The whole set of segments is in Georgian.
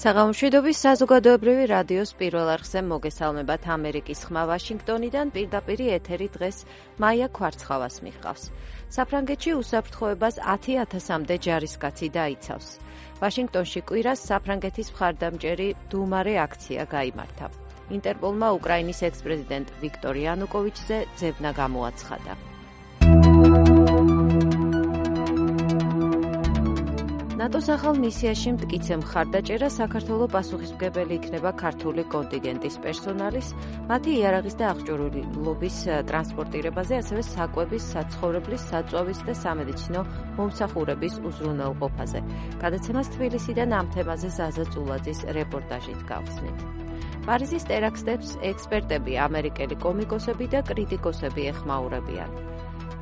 საღამოშვიდობის საზოგადოებრივი რადიოს პირველ არხზე მოგესალმებათ ამერიკის ხმა ვაშინგტონიდან პირდაპირ ეთერი დღეს მაია ქვარცხავას მიჰყავს. საფრანგეთში უსაფრთხოებას 10,000-მდე ჯარისკაცი დაიცავს. ვაშინგტონში კვირას საფრანგეთის მხარდამჭერი დუმარე აქცია გაიმართა. ინტერპოლმა უკრაინის ექს-პრეზიდენტ ვიქტორ იანუკოვიჩზე ძებნა გამოაცხადა. ნატოს ახალ მისიაში მტკიცე მხარდაჭერა საქართველოს პასუხისმგებელი იქნება ქართული კონტინგენტის პერსონალის, მათი იარაღის და აღჭურვილობის ტრანსპორტირებაზე, ასევე საკვების, საცხოვრებლის, საწვავის და სამედიცინო მომსახურების უზრუნველყოფაზე. გადაცემას თბილისიდან ამ თემაზე ზაზა წულაძის რეპორტაჟით გავხსნით. პარიზის ტერაქტებს ექსპერტები, ამერიკელი კომიკოსები და კრიტიკოსები ეხმაურებიან.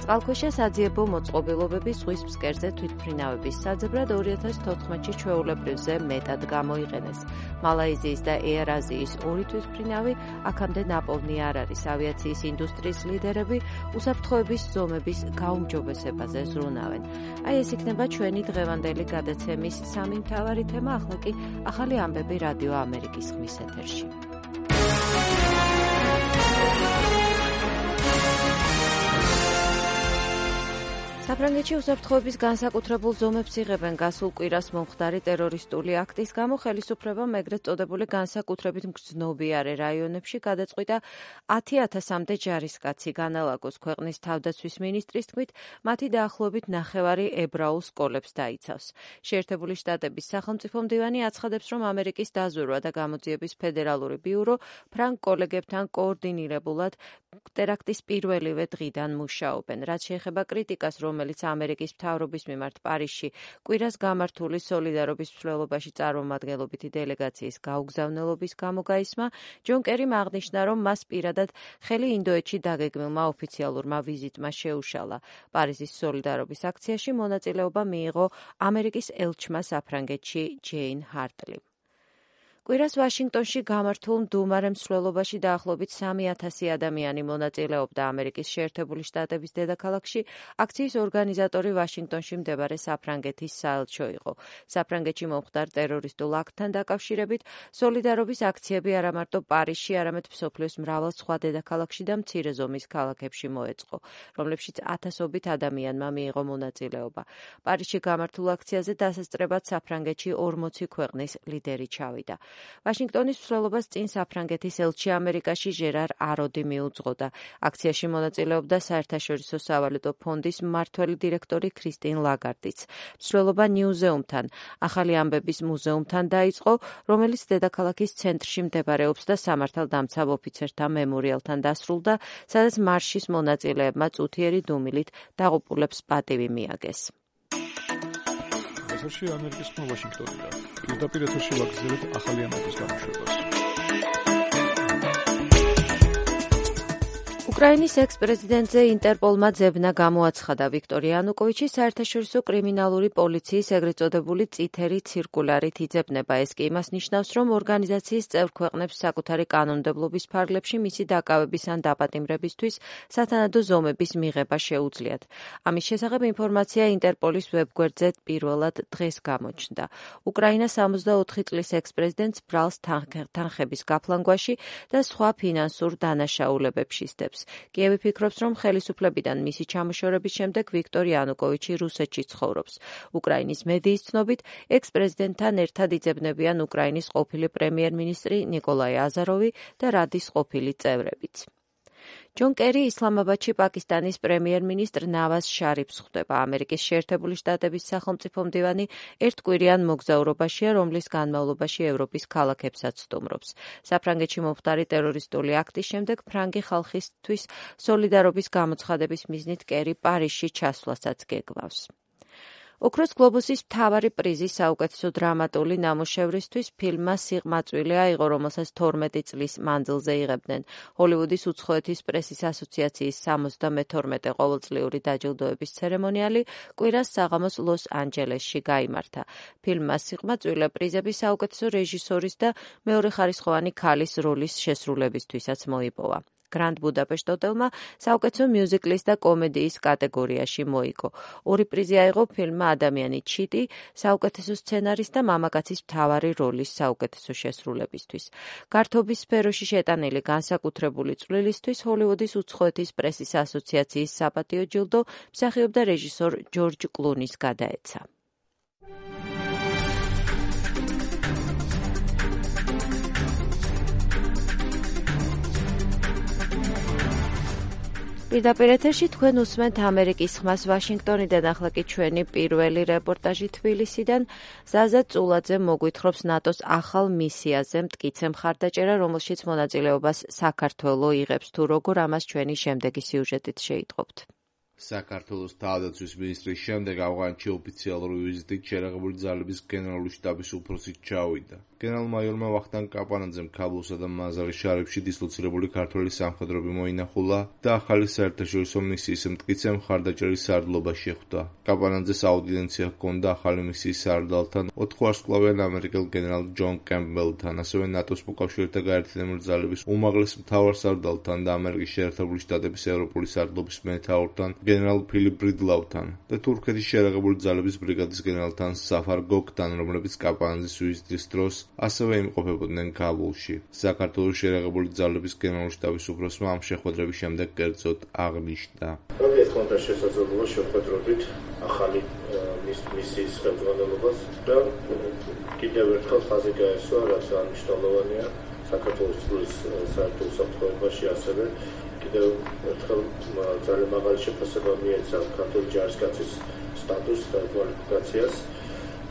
წყალქვეშა საძიებო მოწყობილობების ზღვის ფსკერზე თვითმფრინავების საძებრად 2014-ში ჩვეულებრივზე მეტად გამოიყენეს. მალაიზიის და ეარ აზიის 2 თვითმფრინავი აქამდე ნაპოვნი არ არის. ავიაციის ინდუსტრიის ლიდერები უსაფრთხოების ზომების გაუმჯობესებაზე ზრუნავენ. აი ეს იქნება ჩვენი დღევანდელი გადაცემის სამი მთავარი თემა, ახლა კი ახალი ამბები რადიო ამერიკის ხმის ეთერში. საფრანგეთში უსაფრთხოების განსაკუთრებულ ზომებს იღებენ გასულ კვირას მომხდარი ტერორისტული აქტის გამო. ხელისუფლებამ ეგრეთ წოდებული განსაკუთრებით მგრძნობიარე რაიონებში გადაწყვიტა 10,000-მდე ჯარისკაცი განალაგოს. ქვეყნის თავდაცვის მინისტრის თქმით, მათი დაახლოებით 9 ებრაულ სკოლებს დაიცავს. შეერთებული შტატების სახელმწიფო მდივანი აცხადებს, რომ ამერიკის დაზვერვა და გამოძიების ფედერალური ბიურო ფრანგ კოლეგებთან კოორდინირებულად ტერაქტის პირველივე დღიდან მუშაობენ. რაც შეეხება კრიტიკას, რომელიც ამერიკის მთავრობის მიმართ პარიზში კვირას გამართული სოლიდარობის მსვლელობაში წარმომადგენლობითი დელეგაციის გაუგზავნელობის გამო გაისმა, ჯონ კერიმ აღნიშნა, რომ მას პირადად ხელი ინდოეთში დაგეგმილმა ოფიციალურმა ვიზიტმა შეუშალა. პარიზის სოლიდარობის აქციაში მონაწილეობა მიიღო ამერიკის ელჩმა საფრანგეთში ჯეინ ჰარტლიმ. კვირას ვაშინგტონში გამართულ მდუმარე მსვლელობაში დაახლოებით 3,000 ადამიანი მონაწილეობდა. ამერიკის შეერთებული შტატების დედაქალაქში აქციის ორგანიზატორი ვაშინგტონში მდებარე საფრანგეთის საელჩო იყო. საფრანგეთში მომხდარ ტერორისტულ აქტთან დაკავშირებით სოლიდარობის აქციები არა მარტო პარიზში, არამედ მსოფლიოს მრავალ სხვა დედაქალაქში და მცირე ზომის ქალაქებში მოეწყო, რომლებშიც ათასობით ადამიანმა მიიღო მონაწილეობა. პარიზში გამართულ აქციაზე დასასწრებად საფრანგეთში 40 ქვეყნის ლიდერი ჩავიდა. ვაშინგტონის მსვლელობას წინ საფრანგეთის ელჩი ამერიკაში ჟერარ აროდი მიუძღოდა. აქციაში მონაწილეობდა საერთაშორისო სავალუტო ფონდის მმართველი დირექტორი ქრისტინ ლაგარდიც. მსვლელობა ნიუზეუმთან, ახალი ამბების მუზეუმთან დაიწყო, რომელიც დედაქალაქის ცენტრში მდებარეობს და სამართალდამცავ ოფიცერთა მემორიალთან დასრულდა, სადაც მარშის მონაწილეებმა წუთიერი დუმილით დაღუპულებს პატივი მიაგეს. ეთერში ამერიკის ხმა ვაშინგტონიდან. პირდაპირ ეთერში ვაგრძელებთ ახალი ამბების გამოშვებას. უკრაინის ექს-პრეზიდენტზე ინტერპოლმა ძებნა გამოაცხადა. ვიქტორ იანუკოვიჩი საერთაშორისო კრიმინალური პოლიციის ეგრეთ წოდებული წითელი ცირკულარით იძებნება. ეს კი იმას ნიშნავს, რომ ორგანიზაციის წევრ ქვეყნებს საკუთარი კანონმდებლობის ფარგლებში მისი დაკავების ან დაპატიმრებისთვის სათანადო ზომების მიღება შეუძლიათ. ამის შესახებ ინფორმაცია ინტერპოლის ვებგვერდზე პირველად დღეს გამოჩნდა. უკრაინა 64 წლის ექს-პრეზიდენტს ბრალს თანხების გაფლანგვაში და სხვა ფინანსურ დანაშაულებებს ისტებს. კიევი ფიქრობს, რომ ხელისუფლებიდან მისი ჩამოშორების შემდეგ ვიქტორ იანუკოვიჩი რუსეთში ცხოვრობს. უკრაინის მედიის ცნობით, ექს-პრეზიდენტთან ერთად იძებნებიან უკრაინის ყოფილი პრემიერ-მინისტრი ნიკოლაი აზაროვი და რადის ყოფილი წევრებიც. ჯონ კერი ისლამაბადში პაკისტანის პრემიერ-მინისტრ ნავაზ შარიფს ხვდება. ამერიკის შეერთებული შტატების სახელმწიფო მდივანი ერთკვირიან მოგზაურობაშია, რომლის განმავლობაში ევროპის ქალაქებსაც სტუმრობს. საფრანგეთში მომხდარი ტერორისტული აქტის შემდეგ ფრანგი ხალხისთვის სოლიდარობის გამოცხადების მიზნით კერი პარიზში ჩასვლასაც გეგმავს. ოქროს გლობუსის მთავარი პრიზი საუკეთესო დრამატული ნამუშევრისთვის ფილმმა სიღმაწვილი აიღო, რომელსაც 12 წლის მანძილზე იღებდნენ. ჰოლივუდის უცხოეთის პრესის ასოციაციის 72 ყოველწლიური დაჯილდოების ცერემონიალი კვირას საღამოს ლოს-ანჯელესში გაიმართა. ფილმმა სიღმაწვილე პრიზები საუკეთესო რეჟისორის და მეორეხარისხოვანი ქალის როლის შესრულებისთვისაც მოიპოვა. Grand Budapest Hotel-მა საუკეთესო მიუზიკლის და კომედიის კატეგორიაში მოიგო. 2 პრიზი აიღო ფილმმა ადამიანი ჩიტი, საუკეთესო სცენარის და მამაკაცის მთავარი როლის საუკეთესო შესრულებისთვის. გართობის სფეროში შეტანილი განსაკუთრებული წვლილისთვის ჰოლივუდის უცხოეთის პრესის ასოციაციის საპატიო ჯილდო მსახიობ და რეჟისორ ჯორჯ კლუნის გადაეცა. პირდაპირ ეთერში თქვენ უსმენთ ამერიკის ხმას ვაშინგტონიდან, ახლა კი ჩვენი პირველი რეპორტაჟი თბილისიდან. ზაზა წულაძე მოგვითხრობს ნატოს ახალ მისიაზე მტკიცე მხარდაჭერა, რომელშიც მონაწილეობას საქართველო იღებს. თუ როგორ, ამას ჩვენი შემდეგი სიუჟეტით შეიტყობთ. საქართველოს თავდაცვის მინისტრის შემდეგ ავღანეთში ოფიციალური ვიზიტით შერაღებული ძალების გენერალური შტაბის უფროსი ჩავიდა. გენერალ-მაიორმა ვახტანგ კაპანაძემ ქაბულსა და მაზარი შარიფში დისლოცირებული ქართველი სამხედროები მოინახულა და ახალი საერთაშორისო მისიის მტკიცე მხარდაჭერის სარდლობა შეხვდა. კაპანაძეს აუდიენცია ჰქონდა ახალი მისიის სარდალთან, 4 ვარსკვლავიან ამერიკელ გენერალ ჯონ კემპბელთან, ასევე ნატოს მოკავშირეთა გაერთიანებული ძალების უმაღლეს მთავარ სარდალთან და ამერიკის შეერთებული შტატების ევროპული სარდლობის მეთაურთან გენერალ ფილიპ ბრიდლაუთან და თურქეთის შერაღებული ძალების ბრიგადის გენერალთან საფარ გოგთან, რომლებიც კაპანაძის ვიზიტის დროს ასევე იმყოფებოდნენ ქაბულში. საქართველოს შერაღებული ძალების გენერალური შტაბის უფროსმა ამ შეხვედრების შემდეგ კერძოდ აღნიშნა. მოგეთხოვნა შესაძლებლობა შეხვედრობით ახალი მისიის ხელმძღვანელობას და კიდევ ერთხელ ხაზი გაესვა, რაც მნიშვნელოვანია საქართველოს წყლის საერთო უსაფრთხოებაში, ასევე კიდევ ერთხელ ძალიან მაღალი შეფასება მიეცა ქართული ჯარისკაცის სტატუსს და კვალიფიკაციას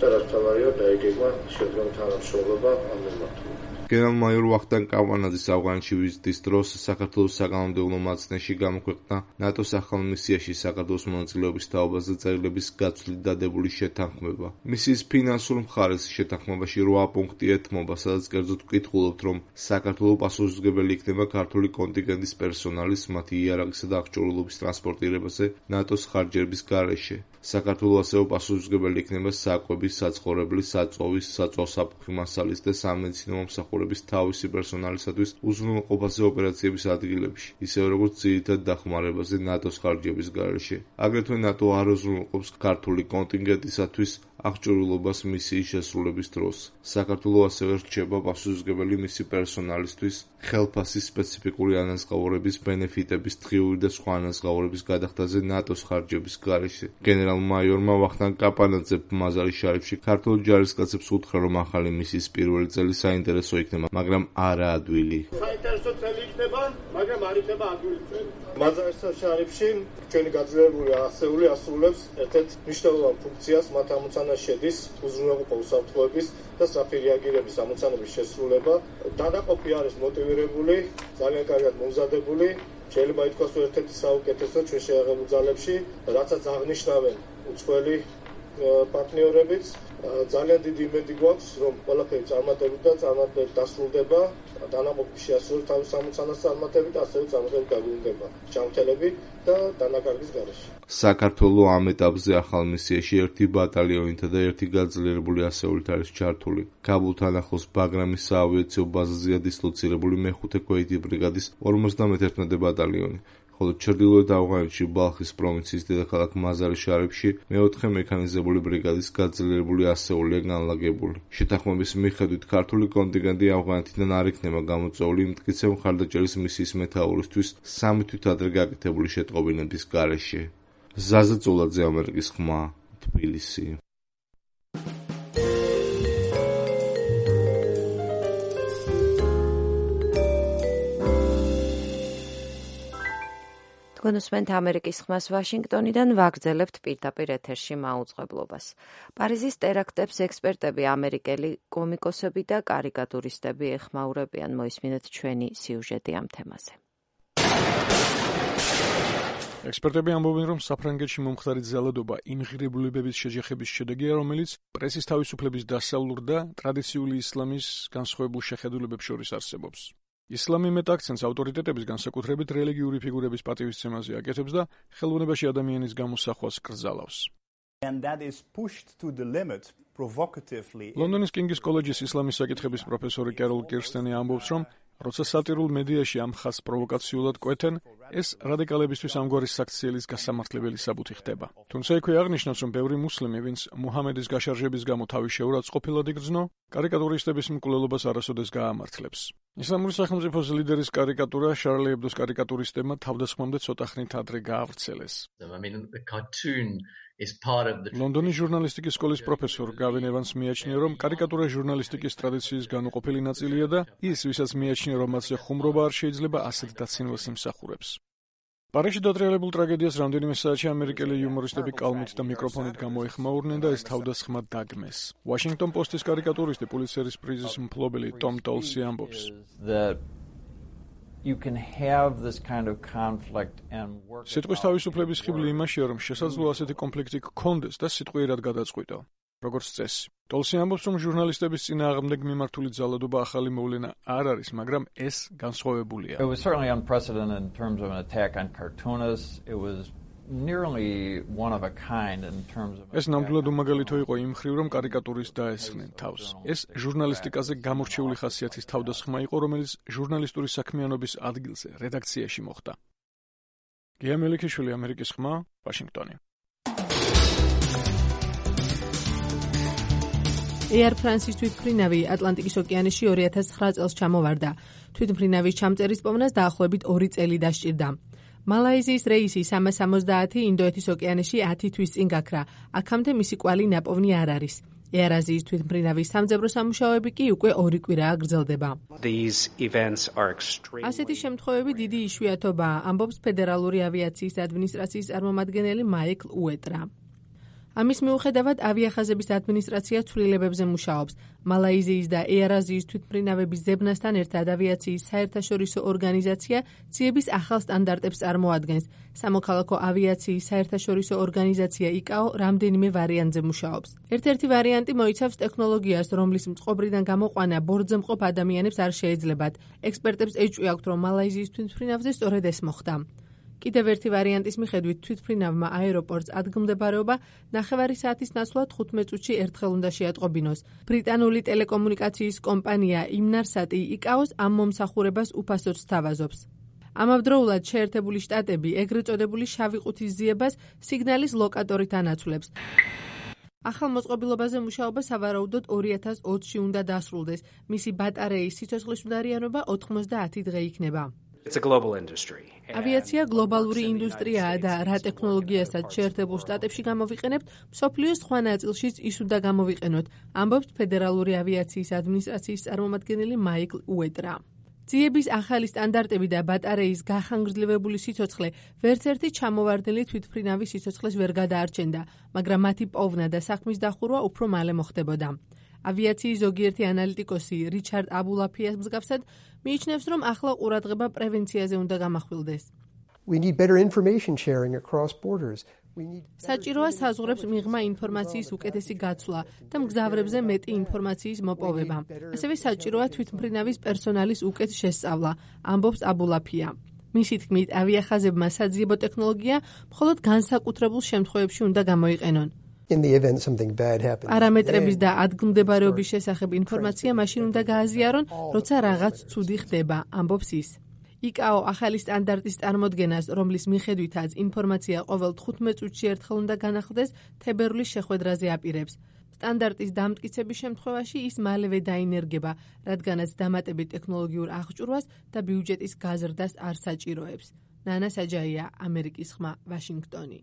და რაც თავარია დაიგეგმა შედგენილ თანამშრომლობა ამ მიმართულებით. გენერალ-მაიორ ვახტანგ კაპანაძის ავღანეთში ვიზიტის დროს საქართველოს საკანონმდებლო მაცნეში გამოქვეყნდა ნატოს ახალ მისიაში საქართველოს მონაწილეობის თაობაზე წერილების გაცვლით დადებული შეთანხმება. მისიის ფინანსურ მხარეს შეთანხმებაში 8 პუნქტი ეთმობა, სადაც კერძოდ ვკითხულობთ, რომ საქართველო პასუხისმგებელი იქნება ქართული კონტინგენტის პერსონალის, მათი იარაღისა და აღჭურვილობის ტრანსპორტირებაზე ნატოს ხარჯების გარეშე. საქართველო ასევე პასუხისმგებელი იქნება საკვების, საცხოვრებლის, საწვავის, საწვავსაფრთხო მასალის და სამედიცინო მომსახურების თავისი პერსონალისათვის უზრუნველყოფაზე ოპერაციების ადგილებში, ისევე როგორც ძირითად დახმარებაზე ნატოს ხარჯების გარეშე. აგრეთვე ნატო არ უზრუნველყოფს ქართული კონტინგენტისათვის აღჭურვილობას მისიის შესრულების დროს. საქართველო ასევე რჩება პასუხისმგებელი მისი პერსონალისთვის ხელფასის სპეციფიკური ანაზღაურების, ბენეფიტების, დღიური და სხვა ანაზღაურების გადახდაზე ნატოს ხარჯების გარეშე. გენერალ-მაიორმა ვახტანგ კაპანაძემ მაზარი შარიფში ქართულ ჯარისკაცებს უთხრა, რომ ახალი მისიის პირველი წელი საინტერესო იქნება, მაგრამ არა ადვილი. საინტერესო წელი იქნება, მაგრამ არ იქნება ადვილი წელი. მაზარი შარიფში ჩვენი გაძლიერებული ასეული ასრულებს ერთ-ერთ მნიშვნელოვან ფუნქციას, მათ ამოცანაში შედის უზრუნველყოფა უსაფრთხოების და სწრაფი რეაგირების ამოცანების შესრულება. დანაყოფი არის მოტივირებული, ძალიან კარგად მომზადებული. შეიძლება ითქვას, რომ ერთ-ერთი საუკეთესო ჩვენ შეაღებულ ძალებში, რაცაც აღნიშნავენ უცხოელი პარტნიორებიც, ძალიან დიდი იმედი გვაქვს, რომ ყველაფერი წარმატებით და წარმატებით დასრულდება. დანაყოფი შეასრულებს თავის ამოცანას წარმატებით, ასევე წარმატებით დაგვინდება ჯანმრთელები და დანაკარგის გარეშე. საქართველო ამ ეტაპზე ახალ მისიაში 1 ბატალიონითა და 1 გაძლიერებული ასეულით არის ჩართული. ქაბულთან ახლოს ბაგრამის საავიაციო ბაზაზეა დისლოცირებული მე-5 ქვეითი ბრიგადის 51 ბატალიონი. ხოლო ჩრდილოეთ ავღანეთში ბალხის პროვინციის დედაქალაქ მაზარი შარიფში მე-4 მექანიზებული ბრიგადის გაძლიერებული ასეულია განლაგებული. შეთანხმების მიხედვით ქართული კონტინგენტი ავღანეთიდან არ იქნება გამოწვეული მტკიცე მხარდაჭერის მისიის მეთაურისთვის 3 თვით ადრე გაკეთებული შეტყობინების გარეშე. ზაზა წულაძე, ამერიკის ხმა, თბილისი. თქვენ უსმენთ ამერიკის ხმას ვაშინგტონიდან, ვაგრძელებთ პირდაპირ ეთერში მაუწყებლობას. პარიზის ტერაქტებს ექსპერტები, ამერიკელი კომიკოსები და კარიკატურისტები ეხმაურებიან. მოისმინეთ ჩვენი სიუჟეტი ამ თემაზე. ექსპერტები ამბობენ, რომ საფრანგეთში მომხდარი ძალადობა იმღირებულებების შეჯახების შედეგია, რომელიც პრესის თავისუფლების დასავლურ და ტრადიციული ისლამის განსხვავებულ შეხედულებებს შორის არსებობს. ისლამი მეტ აქცენტს ავტორიტეტების, განსაკუთრებით რელიგიური ფიგურების პატივისცემაზე აკეთებს და ხელოვნებაში ადამიანის გამოსახვას კრძალავს. ლონდონის კინგის კოლეჯის ისლამის საკითხების პროფესორი კეროლ კირსტენი ამბობს, რომ როცა სატირულ მედიაში ამ ხაზს პროვოკაციულად კვეთენ, ეს რადიკალებისთვის ამგვარი საქციელის გასამართლებელი საბუთი ხდება. თუმცა იქვე აღნიშნავს, რომ ბევრი მუსლიმი, ვინც მუჰამედის გაშარჟების გამო თავის შეურაცხყოფილად იგრძნო, კარიკატურისტების მკვლელობას არასოდეს გაამართლებს. ისლამური სახელმწიფოს ლიდერის კარიკატურა შარლი ებდოს კარიკატურისტებმა თავდასხმამდე ცოტა ხნით ადრე გაავრცელეს. ლონდონის ჟურნალისტიკის სკოლის პროფესორ გავენ ევანს მიაჩნია, რომ კარიკატურა ჟურნალისტიკის ტრადიციის განუყოფელი ნაწილია და ის, ვისაც მიაჩნია, რომ მათზე ხუმრობა არ შეიძლება, ასეთ დაცინვას იმსახურებს. პარიზში დატრიალებულ ტრაგედიას რამდენიმე საათში ამერიკელი იუმორისტები კალმით და მიკროფონით გამოეხმაურნენ და ეს თავდასხმა დაგმეს. ვაშინგტონ პოსტის კარიკატურისტი პულიცერის პრიზის მფლობელი ტომ ტოლსი ამბობს. სიტყვის თავისუფლების ხიბლი იმაშია, რომ შესაძლოა ასეთი კონფლიქტი გქონდეს და სიტყვიერად გადაწყვიტო. როგორც წესი. ტოლსი ამბობს, რომ ჟურნალისტების წინააღმდეგ მიმართული ძალადობა ახალი მოვლენა არ არის, მაგრამ ეს განსხვავებულია. ეს ნამდვილად უმაგალითო იყო იმ მხრივ, რომ კარიკატურის დაესხნენ თავს. ეს ჟურნალისტიკაზე გამორჩეული ხასიათის თავდასხმა იყო, რომელიც ჟურნალისტური საქმიანობის ადგილზე, რედაქციაში მოხდა. გია მელიქიშვილი, ამერიკის ხმა, ვაშინგტონი. Air France-ის თვითმფრინავი ატლანტიკის ოკეანეში 2009 წელს ჩამოვარდა. თვითმფრინავის ჩამწერის პოვნას დაახლოებით 2 წელი დასჭირდა. მალაიზიის რეისი 370 ინდოეთის ოკეანეში 10 თვის წინ გაქრა. აქამდე მისი კვალი ნაპოვნი არ არის. Air Asia-ის თვითმფრინავის სამძებრო სამუშაოები კი უკვე 2 კვირაა გრძელდება. ასეთი შემთხვევები დიდი იშვიათობაა, ამბობს ფედერალური ავიაციის ადმინისტრაციის წარმომადგენელი მაიკლ უეტრა. ამის მიუხედავად ავიახაზების ადმინისტრაცია ცვლილებებზე მუშაობს. მალაიზიის და Air Asia-ის თვითმფრინავების ზებნასთან ერთად ავიაციის საერთაშორისო ორგანიზაცია ციების ახალ სტანდარტებს წარმოადგენს. სამოქალაქო ავიაციის საერთაშორისო ორგანიზაცია ICAO რამდენიმე ვარიანტზე მუშაობს. ერთ-ერთი ვარიანტი მოიცავს ტექნოლოგიას, რომლის მწყობრიდან გამოყვანა ბორტზე მყოფ ადამიანებს არ შეეძლებათ. ექსპერტებს ეჭვი აქვთ, რომ მალაიზიის თვითმფრინავზე სწორედ ეს მოხდა. კიდევ ერთი ვარიანტის მიხედვით თვითმფრინავმა აეროპორტს ადგილმდებარეობა 9 საათის ნაცვლად 15 წუთში ერთხელ უნდა შეატყობინოს. ბრიტანული ტელეკომუნიკაციის კომპანია Inmarsat ICAO-ს ამ მომსახურებას უფასოდ სთავაზობს. ამავდროულად შეერთებული შტატები ეგრეთ წოდებული შავი ყუთის ძიებას სიგნალის ლოკატორით ანაცვლებს. ახალ მოწყობილობაზე მუშაობა სავარაუდოდ 2020-ში უნდა დასრულდეს. მისი ბატარეის სიცოცხლის უნარიანობა 90 დღე იქნება. ავიაცია გლობალური ინდუსტრიაა და რა ტექნოლოგიასაც შეერთებულ შტატებში გამოვიყენებთ, მსოფლიოს სხვა ნაწილშიც ის უნდა გამოვიყენოთ, ამბობს ფედერალური ავიაციის ადმინისტრაციის წარმომადგენელი მაიკლ უეტრა. ძიების ახალი სტანდარტები და ბატარეის გახანგრძლივებული სიცოცხლე ვერც ერთი ჩამოვარდნილი თვითმფრინავის სიცოცხლეს ვერ გადაარჩენდა, მაგრამ მათი პოვნა და საქმის დახურვა უფრო მალე მოხდებოდა. ავიაციის ზოგიერთი ანალიტიკოსი რიჩარდ აბულაფიას მსგავსად მიიჩნევს, რომ ახლა ყურადღება პრევენციაზე უნდა გამახვილდეს. საჭიროა საზღვრებს მიღმა ინფორმაციის უკეთესი გაცვლა და მგზავრებზე მეტი ინფორმაციის მოპოვება. ასევე საჭიროა თვითმფრინავის პერსონალის უკეთ შესწავლა, ამბობს აბულაფია. მისი თქმით, ავიახაზებმა საძიებო ტექნოლოგია მხოლოდ განსაკუთრებულ შემთხვევებში უნდა გამოიყენონ. პარამეტრების და ადგილმდებარეობის შესახებ ინფორმაცია მაშინ უნდა გააზიარონ, როცა რაღაც ცუდი ხდება, ამბობს ის. ICAO ახალი სტანდარტის წარმოდგენას, რომლის მიხედვითაც ინფორმაცია ყოველ 15 წუთში ერთხელ უნდა განახლდეს, თებერვლის შეხვედრაზე აპირებს. სტანდარტის დამტკიცების შემთხვევაში ის მალევე დაინერგება, რადგანაც დამატებით ტექნოლოგიურ აღჭურვას და ბიუჯეტის გაზრდას არ საჭიროებს. ნანა საჯაია, ამერიკის ხმა, ვაშინგტონი.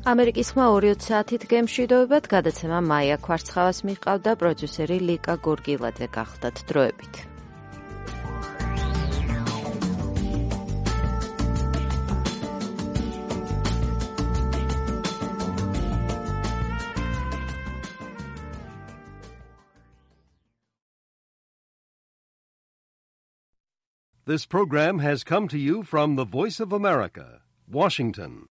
ამერიკის ხმა 2 საათით გემშვიდობებად, გადაცემა მაია ქვარცხავას მიჰყავდა, პროდიუსერი ლიკა გორგილაძე გახდათ დროებით. This program has come to you from the Voice of America, Washington.